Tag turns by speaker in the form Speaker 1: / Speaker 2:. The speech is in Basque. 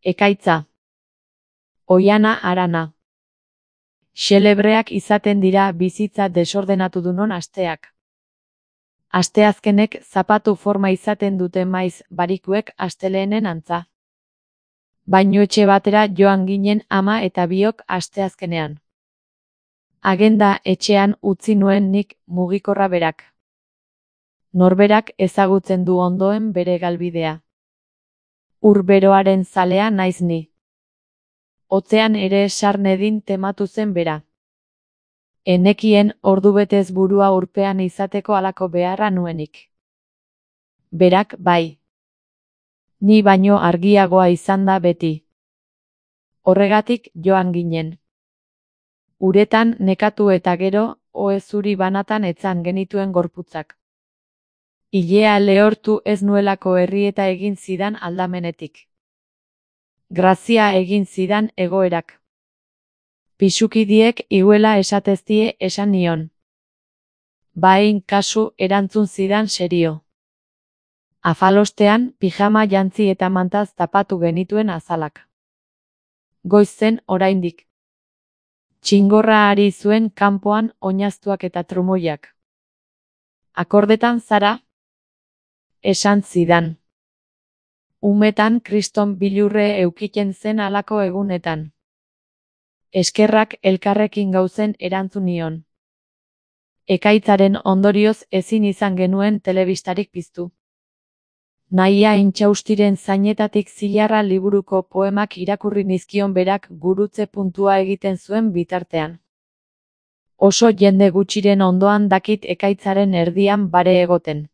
Speaker 1: Ekaitza. Oihana harana. Xelebreak izaten dira bizitza desordenatudunon asteak. Asteazkenek zapatu forma izaten dute maiz barikuek astelehenen antza. Bainuetxe batera joan ginen ama eta biok asteazkenean. Agenda etxean utzi nuen nik mugikorra berak. Norberak ezagutzen du ondoen bere galbidea. Ur beroaren zalea naiz ni. Hotzean ere sarnedin tematu zen bera. Enekien ordubetez burua urpean izateko halako beharra nuenik. Berak bai. Ni baino argiagoa izan da beti. Horregatik joan ginen. Uretan nekatu eta gero, ohe zuri banatan etzan genituen gorputzak. Ilea lehortu ez nuelako errieta egin zidan aldamenetik. Grazia egin zidan egoerak. Pisukidiek iguela esateztie esan nion. Bain kasu erantzun zidan serio. Afalostean, pijama jantzi eta mantaz tapatu genituen azalak. Goiz zen oraindik. Txingorra ari zuen kanpoan oinaztuak eta trumoiak. Akordetan zara? Esan zidan. Umetan kriston bilurre eukiten zen halako egunetan. Eskerrak elkarrekin gauzen erantzun nion. Ekaitzaren ondorioz ezin izan genuen telebistarik piztu. Nahia intxaustiren zainetatik zilarra liburuko poemak irakurri nizkion berak gurutze puntua egiten zuen bitartean. Oso jende gutxiren ondoan dakit ekaitzaren erdian bare egoten.